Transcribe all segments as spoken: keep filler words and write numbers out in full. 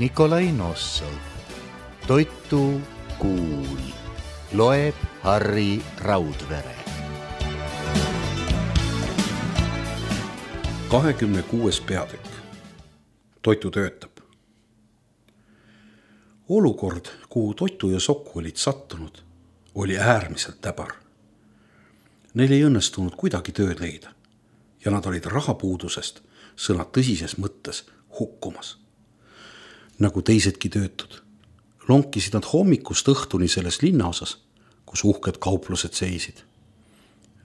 Nikolai Nossov. Toitu kuul. Loeb Harri Raudvere. kahekümne kuues peatükk. Toitu töötab. Olukord, kuhu Toitu ja Soku olid sattunud, oli äärmiselt täbar. Neil ei õnnestunud kuidagi tööd leida ja nad olid rahapuudusest sõna tõsises mõttes hukkumas. Nagu teisedki töötud, lonkisid nad hommikust õhtuni selles linnaosas, kus uhked kauplused seisid.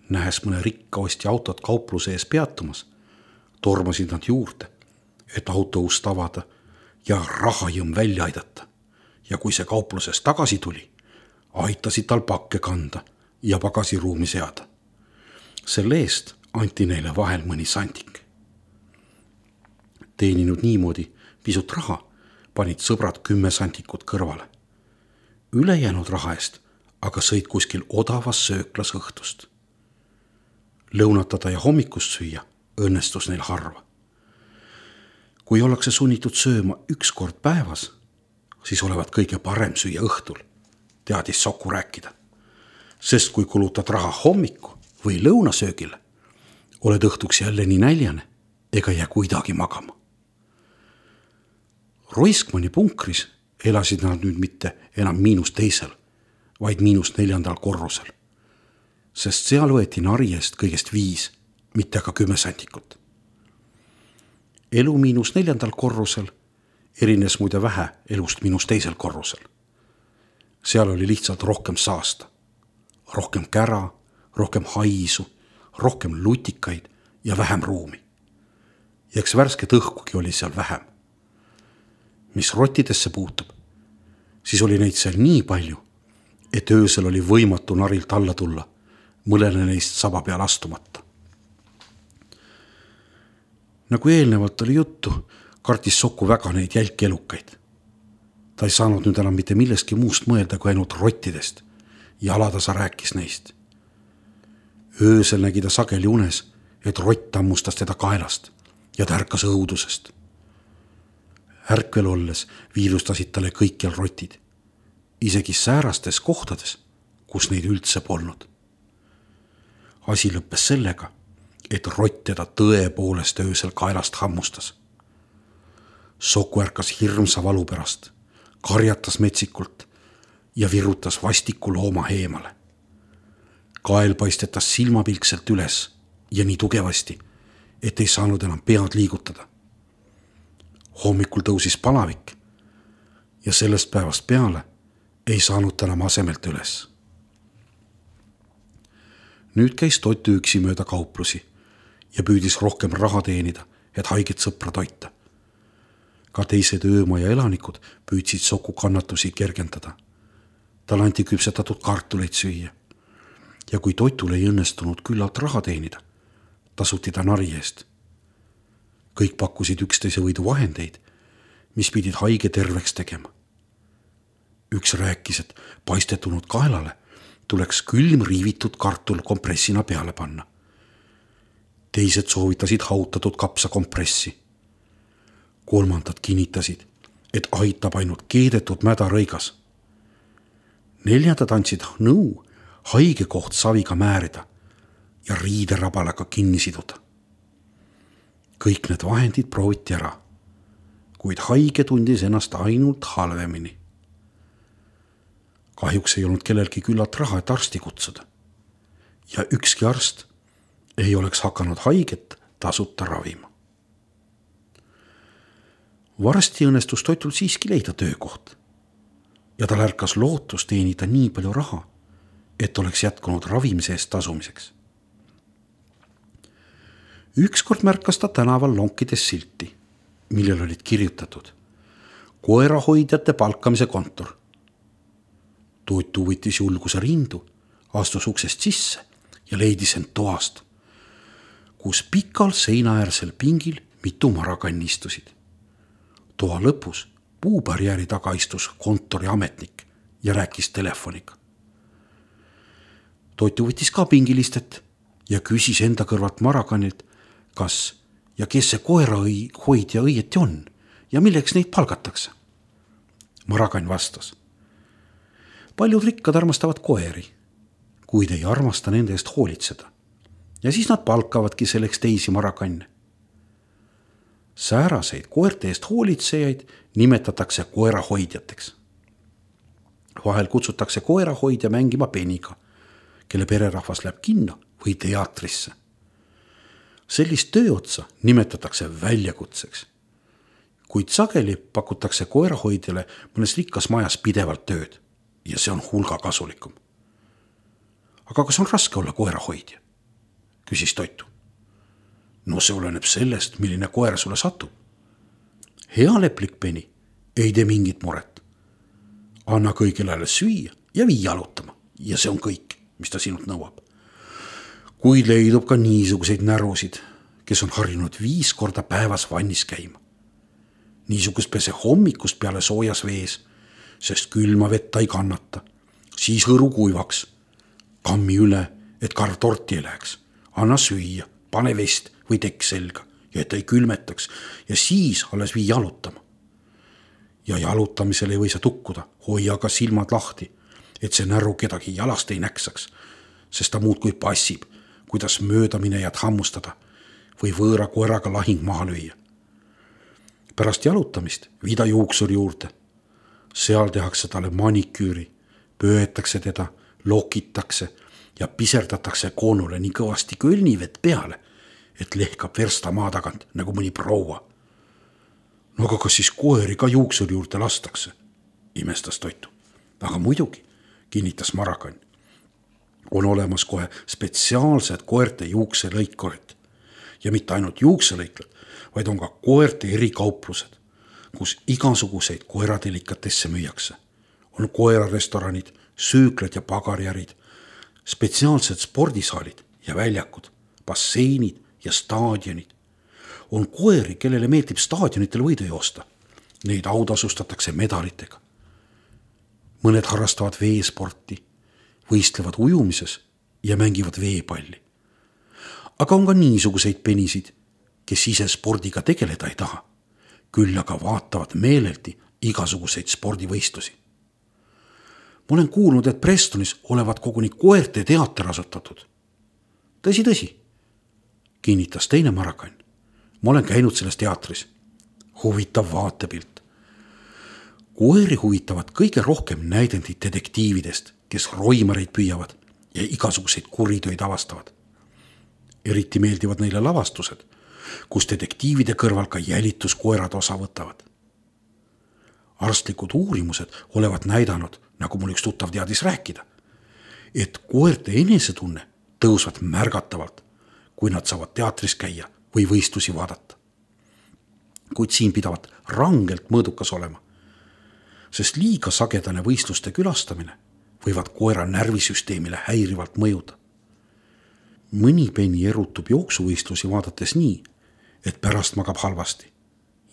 Nähes mõne rikka ostja autot kaupluse ees peatumas, tormasid nad juurde, et auto ust avada ja rahajõmm välja aidata. Ja kui see kaupluses tagasi tuli, aitasid tal pakke kanda ja pagasiruumi seada. Selle eest anti neile vahel mõni sandik. Teeninud niimoodi pisut raha, panid sõbrad kümme sandikut kõrvale. Ülejäänud raha eest aga sõid kuskil odavas sööklas õhtust. Lõunatada ja hommikust süüa õnnestus neil harva. Kui ollakse sunnitud sööma üks kord päevas, siis olevat kõige parem süüa õhtul, teadis Soku rääkida. Sest kui kulutad raha hommiku või lõunasöögile, oled õhtuks jälle nii näljane ega jää kuidagi magama. Roiskmani punkris elasid nad nüüd mitte enam miinus teisel, vaid miinus neljandal korrusel. Sest seal võeti nari eest kõigest viis, mitte aga kümme sandikut. Elu miinus neljandal korrusel erines muide vähe elust miinus teisel korrusel. Seal oli lihtsalt rohkem saasta, rohkem kära, rohkem haisu, rohkem lutikaid ja vähem ruumi. Ja eks värsket õhkugi oli seal vähem. Mis rottidesse puutub, siis oli neid seal nii palju, et öösel oli võimatu narilt alla tulla, mõlele neist saba peal astumata. Nagu eelnevalt oli juttu, kartis Soku väga neid jälkelukaid. Ta ei saanud nüüd enam mitte milleski muust mõelda kui ainult rottidest ja alatasa rääkis neist. Öösel nägi ta sageli unes, et rott tammustas teda kaelast ja ta ärkas õudusest. Ärkvel olles viirustasid talle kõikjal rotid, isegi säärastes kohtades, kus neid üldse polnud. Asi lõppes sellega, et rott teda tõepoolest öösel kaelast hammustas. Soku ärkas hirmsa valu pärast, karjatas metsikult ja virutas vastiku looma eemale. Kael paistetas silmapilkselt üles ja nii tugevasti, et ei saanud enam pead liigutada. Hommikul tõusis palavik ja sellest päevast peale ei saanud ta enam asemelt üles. Nüüd käis Toitu üksi mööda kauplusi ja püüdis rohkem raha teenida, et haiget sõpra toita. Ka teised öömaja elanikud püüdsid Soku kannatusi kergendada. Tal anti küpsetatud kartuleid süüa. Ja kui Toitul ei õnnestunud küllalt raha teenida, tasuti ta nari eest. Kõik pakkusid üksteise võidu vahendeid, mis pidid haige terveks tegema. Üks rääkis, et paistetunud kaelale tuleks külm riivitud kartul kompressina peale panna. Teised soovitasid hautatud kapsa kompressi. Kolmandad kinnitasid, et aitab ainult keedetud mädarõigas. Neljandad andsid nõu haige koht saviga määrida ja riiderabalaga kinni siduda. Kõik need vahendid prooviti ära, kuid haige tundis ennast ainult halvemini. Kahjuks ei olnud kellelgi küllalt raha, et arsti kutsuda. Ja ükski arst ei oleks hakanud haiget tasuta ravima. Varsti õnnestus Toitul siiski leida töökoht ja tal ärkas lootus teenida nii palju raha, et oleks jätkunud ravimise eest tasumiseks. Ükskord märkas ta tänaval lonkides silti, millel olid kirjutatud koerahoidjate palkamise kontor. Toitu võttis julguse rindu, astus uksest sisse ja leidis end toast, kus pikal seinaäärsel pingil mitu marakanni istusid. Toa lõpus puubarjääri taga istus kontori ametnik ja rääkis telefoniga. Toitu võttis ka pingilistet ja küsis enda kõrvalt marakanilt, kas ja kes see koera hoidja õieti on ja milleks neid palgatakse. Marakann vastas. Paljud rikkad armastavad koeri, kuid ei armasta nende eest hoolitseda. Ja siis nad palkavadki selleks teisi marakanne. Sääraseid koerte eest hoolitsejaid nimetatakse koerahoidjateks. Vahel kutsutakse koerahoidja mängima peniga, kelle pererahvas läheb kinno või teatrisse. Sellist tööotsa nimetatakse väljakutseks, kuid sageli pakutakse koerahoidjale mõnes rikkas majas pidevalt tööd ja see on hulga kasulikum. Aga kas on raske olla koerahoidja? Küsis Toitu. No see oleneb sellest, milline koer sulle satub. Hea leplik peni ei tee mingit muret. Anna kõigile süüa ja vii jalutama ja see on kõik, mis ta sinult nõuab. Kuid leidub ka niisuguseid närusid, kes on harjunud viis korda päevas vannis käima. Niisugust pese hommikust peale soojas vees, sest külma vett ta ei kannata. Siis hõru kuivaks. Kammi üle, et karv torti ei läheks. Anna süüa, pane vest või tekk selga ja et ta ei külmetaks ja siis alles vii jalutama. Ja jalutamisel ei või sa tukkuda, hoia ka silmad lahti, et see näru kedagi jalast ei näksaks, sest ta muudkui passib, kuidas möödaminejad hammustada või võõra koeraga lahing maha lüüa. Pärast jalutamist viida juuksuri juurde. Seal tehakse talle maniküüri, pööetakse teda, lokitakse ja piserdatakse koonule nii kõvasti kõlnivett peale, et lehkab versta maa tagant nagu mõni proua. No aga kas siis koeri ka juuksuri juurde lastakse? Imestas Toitu. Aga muidugi, kinnitas Marakann. On olemas kohe spetsiaalsed koerte juukselõikorid. Ja mitte ainult juukselõiklad, vaid on ka koerte erikauplused, kus igasuguseid koeradelikatesse müüakse. On koerarestoranid, süüklad ja pagariärid, spetsiaalsed spordisaalid ja väljakud, basseinid ja staadionid. On koeri, kellele meeldib staadionitel võidu joosta. Neid autasustatakse medalitega. Mõned harrastavad veesporti, võistlevad ujumises ja mängivad veepalli. Aga on ka niisuguseid penisid, kes ise spordiga tegeleda ei taha, küll aga vaatavad meeleldi igasuguseid spordivõistlusi. Ma olen kuulnud, et Prestonis olevat koguni koerte teater asutatud. Tõsi, tõsi, kinnitas teine Marakann. Ma olen käinud selles teatris. Huvitav vaatepilt. Koeri huvitavad kõige rohkem näidendid detektiividest, kes roimareid püüavad ja igasuguseid kuritöid avastavad. Eriti meeldivad neile lavastused, kus detektiivide kõrval ka jälituskoerad osa võtavad. Arstlikud uurimused olevat näidanud, nagu mul üks tuttav teadis rääkida, et koerte enesetunne tõusvad märgatavalt, kui nad saavad teatris käia või võistlusi vaadata. Kuid siin pidavat rangelt mõõdukas olema, sest liiga sagedane võistluste külastamine võivad koera närvisüsteemile häirivalt mõjuda. Mõni peni erutub jooksuvõistlusi vaadates nii, et pärast magab halvasti,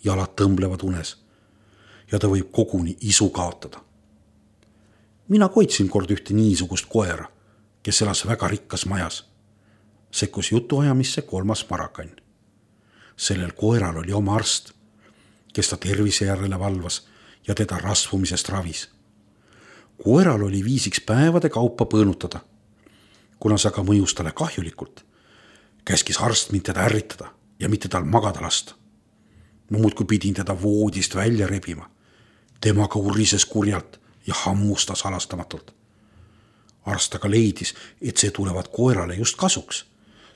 jalad tõmblevad unes ja ta võib koguni isu kaotada. Mina koitsin kord ühte niisugust koera, kes elas väga rikkas majas. Sekkus jutuajamisse kolmas Marakann. Sellel koeral oli oma arst, kes ta tervise järele valvas ja teda rasvumisest ravis. Koeral oli viisiks päevade kaupa põõnutada. Kuna see aga mõjus talle kahjulikult, käskis arst mind teda ärritada ja mitte tal magada lasta. Ma muudkui pidin teda voodist välja rebima. Temaga urises kurjalt ja hammustas halastamatult. Arst aga leidis, et see tulevad koerale just kasuks,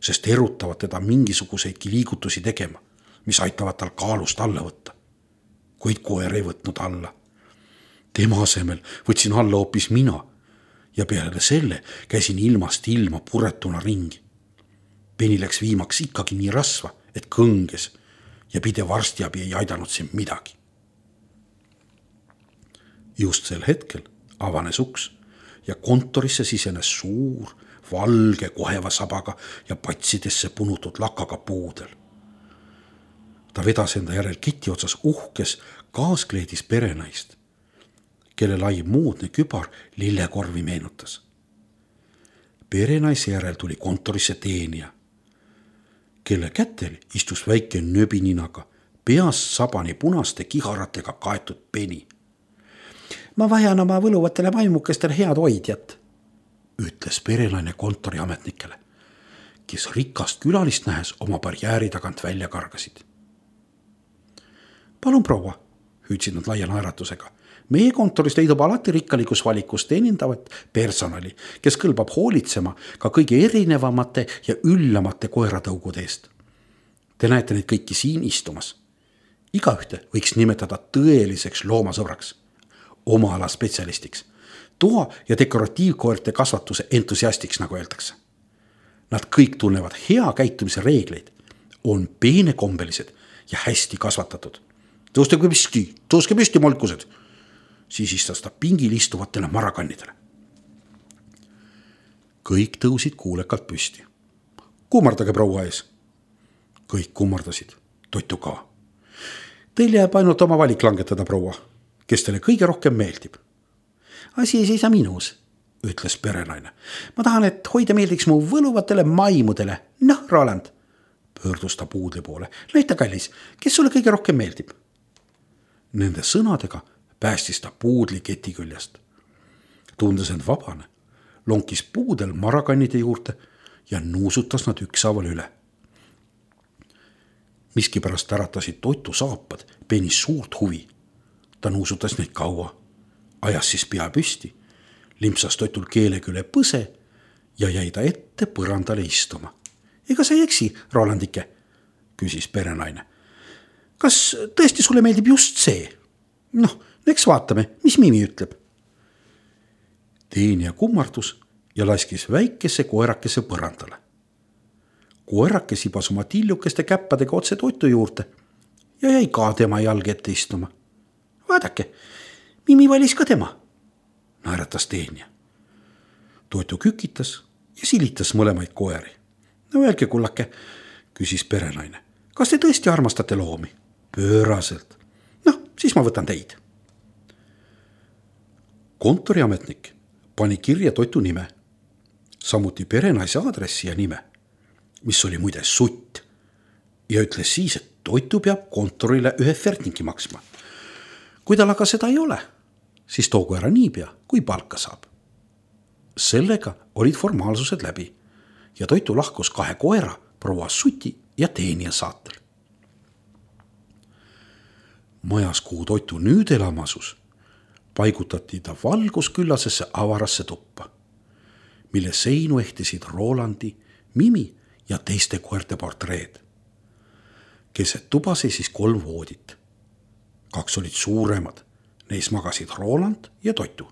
sest erutavad teda mingisuguseidki liigutusi tegema, mis aitavad tal kaalust alla võtta. Kuid koer ei võtnud alla. Tema asemel võtsin alla hoopis mina ja peale selle käisin ilmast ilma puretuna ringi. Peni läks viimaks ikkagi nii rasva, et kõnges ja pidev arstiabi ei aidanud siin midagi. Just sel hetkel avanes uks ja kontorisse sisenes suur, valge koheva sabaga ja patsidesse punutud lakaga puudel. Ta vedas enda järel keti otsas uhkes kaaskleedis perenaist, kelle lai moodne kübar lillekorvi meenutas. Perenaise järel tuli kontorisse teenija, kelle kätel istus väike nöbininaga, peast sabani punaste kiharatega kaetud peni. ma vajan oma võluvatele vaimukestele head hoidjat, ütles perenaine kontoriametnikele, kes rikast külalist nähes oma barjääri tagant välja kargasid. Palun proua, hüüdsid nad laia naeratusega. Meie kontoris leidub alati rikkalikus valikus teenindavat personali, kes kõlbab hoolitsema ka kõige erinevamate ja üllamate koeratõugude eest. Te näete neid kõiki siin istumas. Igaühte võiks nimetada tõeliseks loomasõbraks, oma ala spetsialistiks, toa- ja dekoratiivkoerte kasvatuse entusiastiks, nagu öeldakse. Nad kõik tunnevad hea käitumise reegleid, on peenekombelised ja hästi kasvatatud. Tõuske püsti, tõuske püsti, molkused, sisistas ta pingil istuvatele marakannidele. Kõik tõusid kuulekalt püsti. Kummardage proua ees. Kõik kummardasid, Toitu ka. Teil jääb ainult oma valik langetada, proua, kes teile kõige rohkem meeldib. Asi ei seisa minus, ütles perenaine. Ma tahan, et hoida meeldiks mu võluvatele maimudele. Noh, Roland, pöördus ta puudli poole. Näita, kallis, kes sulle kõige rohkem meeldib? Nende sõnadega päästis ta puudli keti küljest. Tundes end vabane, lonkis puudel marakannide juurde ja nuusutas nad ükshaaval üle. Miski pärast äratasid Toitu saapad Penis suurt huvi. Ta nuusutas neid kaua, ajas siis pea püsti, limpsas Toitul keele küle põse ja jäi ta ette põrandale istuma. Ega sa ei eksi, Rolandike, küsis perenaine. Kas tõesti sulle meeldib just see? Noh, eks vaatame, mis Mimi ütleb. Teenija kummardus ja laskis väikese koerakese põrandale. Koerake sibas oma tillukeste käppadega otse Toitu juurde ja jäi ka tema jalg ette istuma. Vaadake, Mimi valis ka tema, naeratas teenija. Toitu kükitas ja silitas mõlemaid koeri. No öelge, kullake, küsis perenaine. Kas te tõesti armastate loomi? Pööraselt. Noh, siis ma võtan teid. Kontoriametnik pani kirja Toitu nime, samuti perenaise aadressi ja nime, mis oli muide Sutt, ja ütles siis, et Toitu peab kontorile ühe fertingi maksma. Kui tal aga seda ei ole, siis toogu ära niipea, kui palka saab. Sellega olid formaalsused läbi ja Toitu lahkus kahe koera, proua Suti ja teenija saatel. Majas, kuhu Toitu nüüd elama asus, paigutati ta valgusküllasesse avarasse tuppa, mille seinu ehtisid Rolandi, Mimi ja teiste koerte portreed. Keset tuba seisis kolm voodit. Kaks olid suuremad, neis magasid Roland ja Toitu.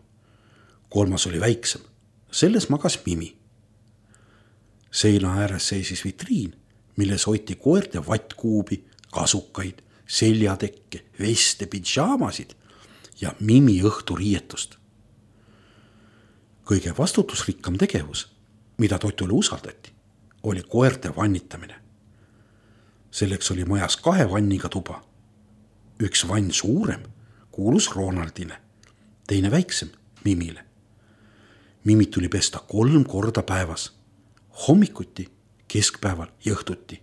Kolmas oli väiksem, selles magas Mimi. Seina ääres seisis vitriin, milles hoiti koerte vattkuubi, kasukaid, seljatekke, veste, pidžaamasid ja Mimi õhturiietust. Kõige vastutusrikkam tegevus, mida Toitule usaldati, oli koerte vannitamine. Selleks oli majas kahe vanniga tuba. Üks vann suurem kuulus Ronaldile, teine väiksem Mimile. Mimit tuli pesta kolm korda päevas, hommikuti, keskpäeval ja õhtuti.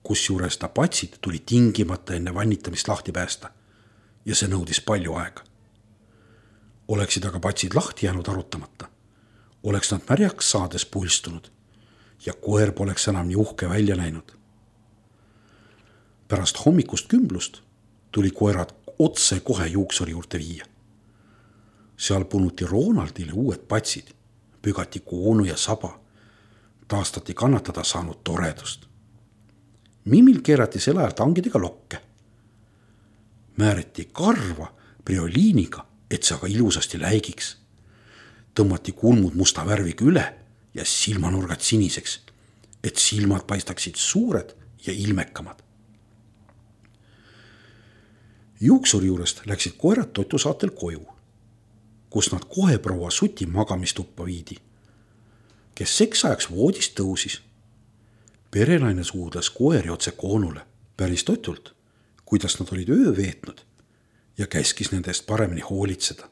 Kusjuures ta patsid tuli tingimata enne vannitamist lahti päästa ja see nõudis palju aega. Oleksid aga patsid lahti jäänud arutamata, oleks nad märjaks saades pulstunud ja koer poleks enam nii uhke välja näinud. Pärast hommikust kümblust tuli koerad otse kohe juuksuri juurde viia. Seal punuti Ronaldile uued patsid, pügati koonu ja saba, taastati kannatada saanud toredust. Mimil keerati sel ajal tangidega lokke. Määriti karva prioliiniga, et see aga ilusasti läigiks. Tõmmati kulmud musta värviga üle ja silmanurgad siniseks, et silmad paistaksid suured ja ilmekamad. Juuksuri juurest läksid koerad Toitu saatel koju, kus nad kohe proua Suti magamistuppa viidi, kes seks ajaks voodist tõusis. Perenaine suudles koeri otse koonule päris Toitult, kuidas nad olid öö veetnud ja käskis nendest paremini hoolitseda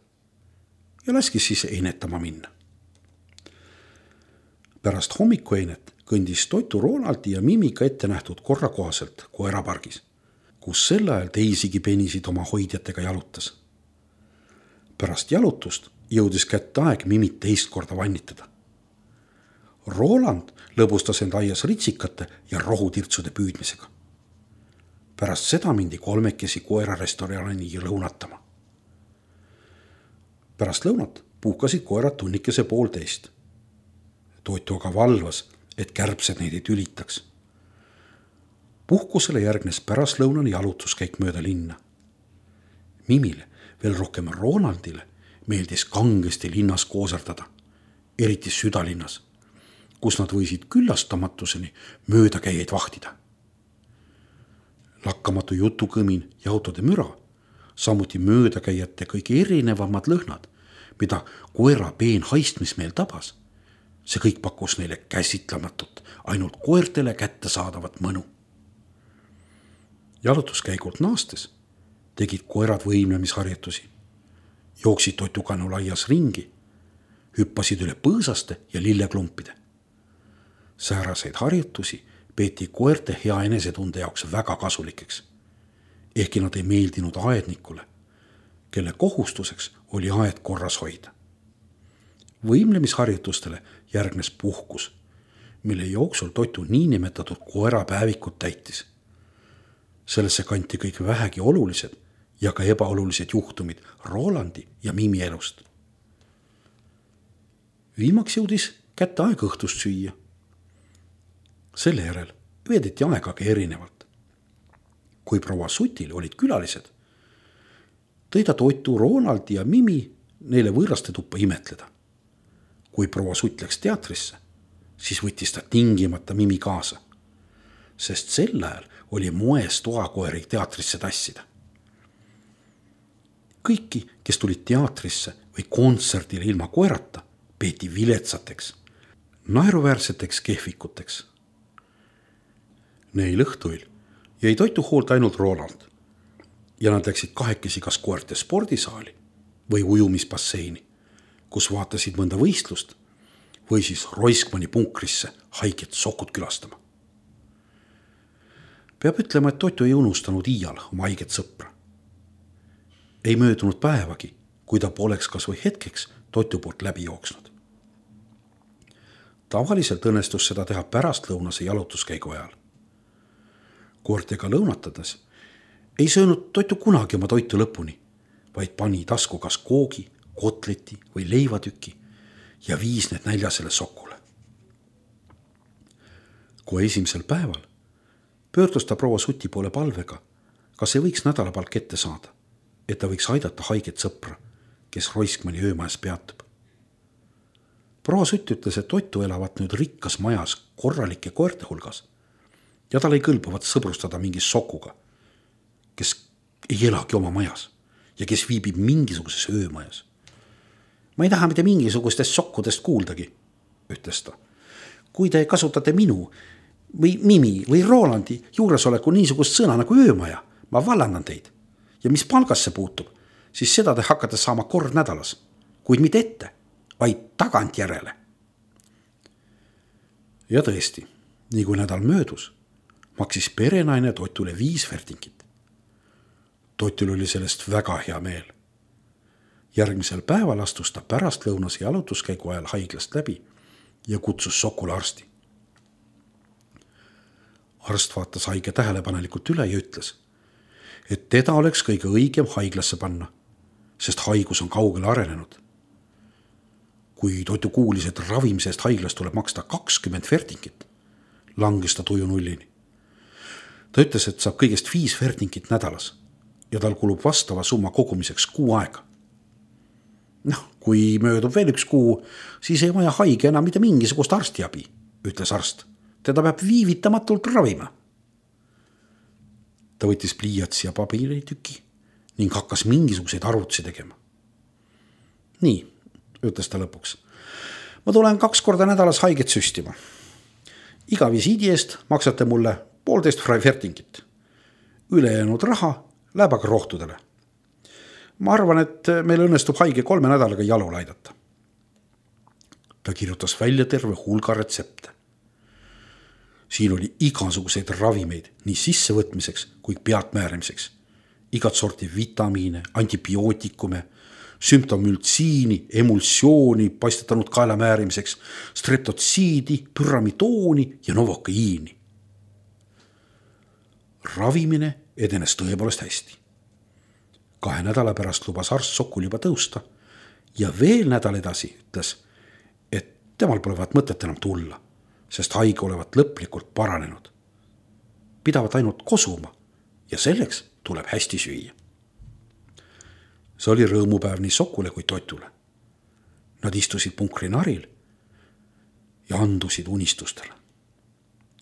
ja laskis siis einetama minna. Pärast hommikueinet kõndis Toitu Ronaldi ja Mimiga ette nähtud korra kohaselt koerapargis, kus sel ajal teisigi penisid oma hoidjatega jalutas. Pärast jalutust jõudis kätte aeg Mimit teist korda vannitada. Roland lõbustas end aias ritsikate ja rohutirtsude püüdmisega. Pärast seda mindi kolmekesi koerarestorani lõunatama. Pärast lõunat puhkasid koerad tunnikese poolteist. Toitu aga valvas, et kärbsed neid ei tülitaks. Puhkusele järgnes pärastlõunane jalutuskäik mööda linna. Mimile, veel rohkem Ronaldile, meeldis kangesti linnas kooserdada, eriti südalinnas, kus nad võisid küllastamatuseni möödakäijaid vahtida. Lakkamatu jutukõmin ja autode müra, samuti möödakäijate kõige erinevamad lõhnad, mida koera peen haistmismeel tabas, see kõik pakkus neile käsitlematut, ainult koertele kätte saadavat mõnu. Jalutuskäigult naastes tegid koerad võimlemisharjutusi, jooksid toitukanu laias ringi, hüppasid üle põõsaste ja lilleklumpide. Sääraseid harjutusi peeti koerte hea enesetunde jaoks väga kasulikeks, ehkki nad ei meeldinud aednikule, kelle kohustuseks oli aed korras hoida. Võimlemisharjutustele järgnes puhkus, mille jooksul toitu niinimetatud koerapäevikut täitis. Sellesse kanti kõik vähegi olulised ja ka ebaolulised juhtumid Rolandi ja Mimi elust. Viimaks jõudis kätte aeg õhtust süüa. Selle järel veedeti aegagi erinevalt. Kui proua Sutil olid külalised, tõi ta toitu Ronaldi ja Mimi neile võõraste tuppa imetleda. Kui proua Sutt läks teatrisse, siis võttis ta tingimata Mimi kaasa, sest sel ajal oli moes toakoeri teatrisse tassida. Kõiki, kes tulid teatrisse või kontserdile ilma koerata, peeti viletsateks, naeruväärseteks kehvikuteks. Neil õhtuil jäi toitu hoolt ainult Roland ja nad läksid kahekesi kas koerte spordisaali või ujumisbasseini, kus vaatasid mõnda võistlust või siis Roiskmani punkrisse haiget sokut külastama. Peab ütlema, et toitu ei unustanud iial oma haiget sõpra. Ei möödunud päevagi, kui ta poleks kas või hetkeks toitu poolt läbi jooksnud. Tavaliselt õnnestus seda teha pärastlõunase jalutuskäigu ajal. Koortega lõunatades ei söönud toitu kunagi oma toitu lõpuni, vaid pani tasku kas koogi, kotleti või leivatüki ja viis need näljasele sokule. Kui esimesel päeval pöördus ta proua Suti poole palvega, kas ei võiks nädalapalk ette saada, et ta võiks aidata haiget sõpra, kes Roiskmani öömajas peatub. Proua Sutt ütles, et toitu elavat nüüd rikkas majas korralike koerte hulgas ja tal ei kõlbavat sõbrustada mingi sokuga, kes ei elagi oma majas ja kes viibib mingisuguses öömajas. Ma ei taha mitte mingisugustest sokkudest kuuldagi, ütles ta. Kui te kasutate minu või Mimi või Rolandi juuresoleku niisugust sõna nagu öömaja, ma vallandan teid. Ja mis palgasse puutub, siis seda te hakkate saama kord nädalas, kuid mitte ette, vaid tagant järele. Ja tõesti, nii kui nädal möödus, maksis perenaine toitule viis vertingit. Toitul oli sellest väga hea meel. Järgmisel päeval astus ta pärastlõunase jalutuskäigu ajal haiglast läbi ja kutsus sokule arsti. Arst vaatas haige tähelepanelikult üle ja ütles, et teda oleks kõige õigem haiglasse panna, sest haigus on kaugele arenenud. Kui toitu kuulis, et ravimisest haiglas tuleb maksta kakskümmend vertingit, langes ta tuju nullini. Ta ütles, et saab kõigest viis vertingit nädalas ja tal kulub vastava summa kogumiseks kuu aega. Noh, kui möödub veel üks kuu, siis ei vaja haige enam mitte mingisugust arstiabi, ütles arst. Teda peab viivitamatult ravima. Ta võttis pliiatsi ja paberitüki ning hakkas mingisuguseid arvutusi tegema. Nii, ütles ta lõpuks. Ma tulen kaks korda nädalas haiget süstima. Iga visiidi eest maksate mulle poolteist vertingit. Ülejäänud raha läheb aga rohtudele. Ma arvan, et meil õnnestub haige kolme nädalaga jalule aidata. Ta kirjutas välja terve hulga retsepte. Siin oli igasuguseid ravimeid nii sissevõtmiseks kui peatmääramiseks. Igat sorti vitamiine, antibiootikume, sümptomültsiini, emulsiooni paistetanud kaela määrimiseks, streptotsiidi, püramidooni ja novokaiini. Ravimine edenes tõepoolest hästi. Kahe nädala pärast lubas arst Sokul juba tõusta ja veel nädal edasi ütles, et temal polevat mõtet enam tulla, sest haige olevat lõplikult paranenud. Pidavat ainult kosuma ja selleks tuleb hästi süüa. See oli rõõmupäev nii Sokule kui Totule. Nad istusid punkrinaril ja andusid unistustele.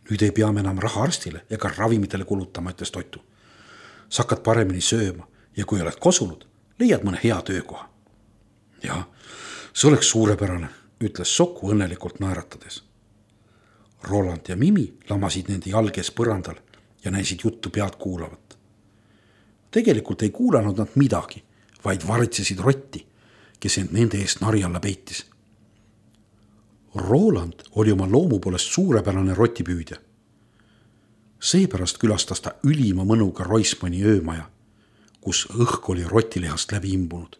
Nüüd ei pea me enam raha arstile ega ravimitele kulutama, ütles Totu. Sa hakkad paremini sööma ja kui oled kosunud, leiad mõne hea töökoha. Ja, see oleks suurepärane, ütles Soku õnnelikult naeratades. Roland ja Mimi lamasid nende jalges põrandal ja näisid juttu pead kuulavat. Tegelikult ei kuulanud nad midagi, vaid varitsesid rotti, kes end nende eest nari alla peitis. Roland oli oma loomu poolest suurepärane rotipüüdja. Seepärast külastas ta ülima mõnuga Roismani öömaja, kus õhk oli rotilihast läbi imbunud.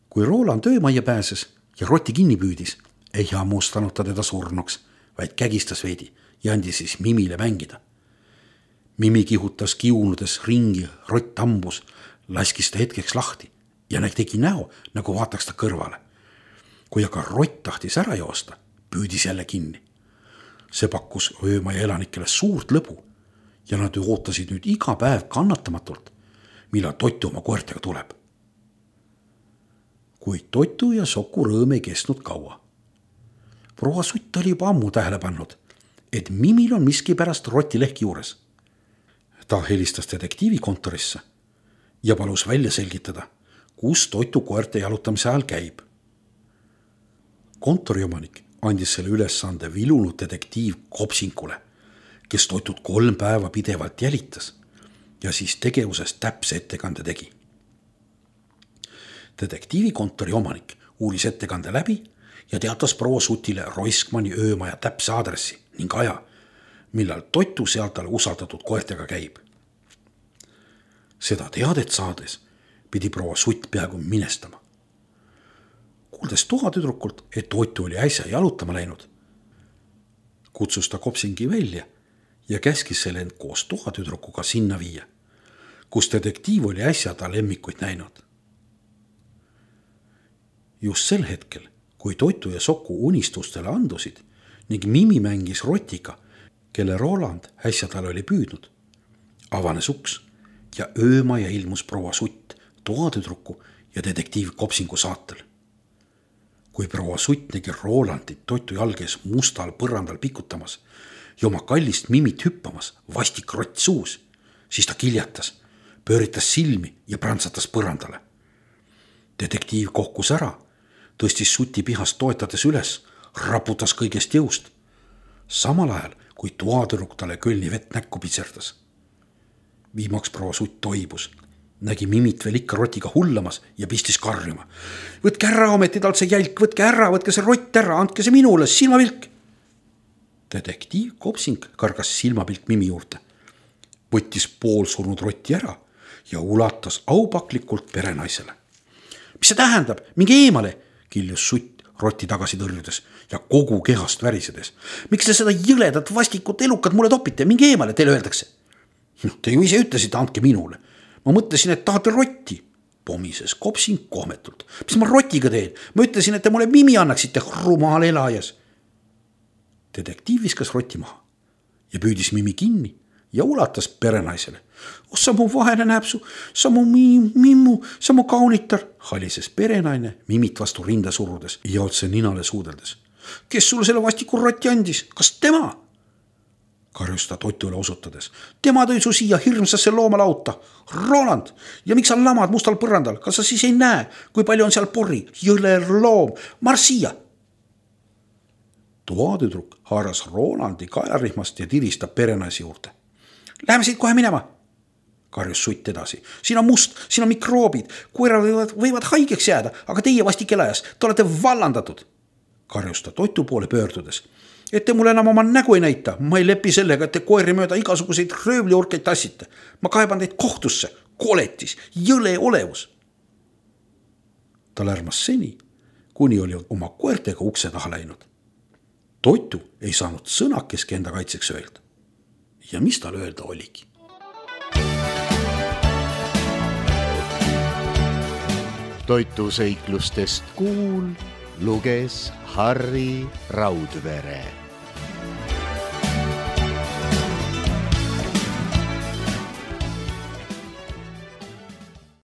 Kui Roland öömajja pääses ja rotti kinni püüdis, ei hammustanud ta teda surnuks, vaid kägistas veidi ja andis siis Mimile mängida. Mimi kihutas kiunudes ringi, rott ambus, laskis ta hetkeks lahti ja tegi näo, nagu vaataks ta kõrvale. Kui aga rott tahtis ära joosta, püüdis jälle kinni. See pakkus öömaja elanikele suurt lõbu ja nad ootasid nüüd iga päev kannatamatult, millal Totu oma koertega tuleb. Kuid Totu ja Soku rõõm ei kestnud kaua. Proua Sutt oli juba ammu tähele pannud, et Mimil on miski pärast rotilehki juures. Ta helistas detektiivikontorisse ja palus välja selgitada, kus Totu koerte jalutamise ajal käib. Kontoriomanik andis selle ülesande vilunud detektiiv Kopsinkule, kes Totut kolm päeva pidevalt jälitas ja siis tegevusest täpse ettekande tegi. Detektiivikontori omanik uuris ettekande läbi ja teatas proua Sutile Roiskmani öömaja täpse aadressi ning aja, millal Totu sealt talle usaldatud koertega käib. Seda teadet saades pidi proua Sutt peaaegu minestama. Kuuldes toatüdrukult, et Totu oli äsja jalutama läinud, kutsus ta Kopsingi välja ja käskis selle end koos toatüdrukuga sinna viia, kus detektiiv oli äsja ta lemmikuid näinud. Just sel hetkel, kui Totu ja Soku unistustele andusid ning Mimi mängis rotiga, kelle Roland äsja tal oli püüdnud, avanes uks ja öömaja ilmus proua Sutt toatüdruku ja detektiiv Kopsingu saatel. Kui proua Sutt nägi Rolandit Totu jalges mustal põrandal pikutamas ja oma kallist Mimit hüppamas vastik rott suus, siis ta kiljatas, pööritas silmi ja prantsatas põrandale. Detektiiv kohkus ära, tõstis Suti pihast toetades üles, raputas kõigest jõust, samal ajal kui toatüdruk talle kölni vett näkku pitserdas. Viimaks proua Sutt toibus, nägi Mimit veel ikka rotiga hullamas ja pistis karjuma. Võtke ära ometi talt see jälk, võtke ära, võtke see rott ära, andke see minule, silmapilk. Detektiiv Kopsing kargas silmapilk Mimi juurde, võttis poolsurnud rotti ära ja ulatas aupaklikult perenaisele. Mis see tähendab? Minge eemale, kiljus Sutt rotti tagasi tõrjudes ja kogu kehast värisedes. Miks te seda jõledat vastikut elukat mulle topite? Minge eemale, teile öeldakse. Te ju ise ütlesite, andke minule. Ma mõtlesin, et tahate rotti. Pomises Kopsing kohmetult. Mis ma rotiga teen? Ma ütlesin, et te mulle Mimi annaksite, rumal elajas. Detektiiv viskas rotti maha ja püüdis Mimi kinni ja ulatas perenaisele. Oh, sa mu vahele näpsu, sa mu mimmu, sa mu kaunitar, halises perenaine Mimit vastu rinda surudes ja otse ninale suudeldes. Kes sulle selle vastiku rotti andis? Kas tema? Karjus ta Totule osutades. Tema tõi su siia hirmsasse loomalauta. Roland, ja miks sa lamad mustal põrandal? Kas sa siis ei näe, kui palju on seal porri? Jõler loom, marss siia. Toatüdruk haaras Rolandi kaelarihmast ja tiristab perenaisi juurde. Läheme siit kohe minema, karjus Sutt edasi. Siin on must, siin on mikroobid, koerad võivad, võivad haigeks jääda, aga teie vastik elajas, te olete vallandatud. Karjus ta Totu poole pöördudes. Et te mulle enam oma nägu ei näita, ma ei lepi sellega, et te koeri mööda igasuguseid röövliurkeid tassite. Ma kaeban teid kohtusse, koletis, jõle olevus. ta lärmas seni, kuni oli oma koertega ukse taha läinud. Toitu ei saanud sõnakeski enda kaitseks öelda. Ja mis tal öelda oligi? Toitu seiklustest kuul luges Harri Raudvere.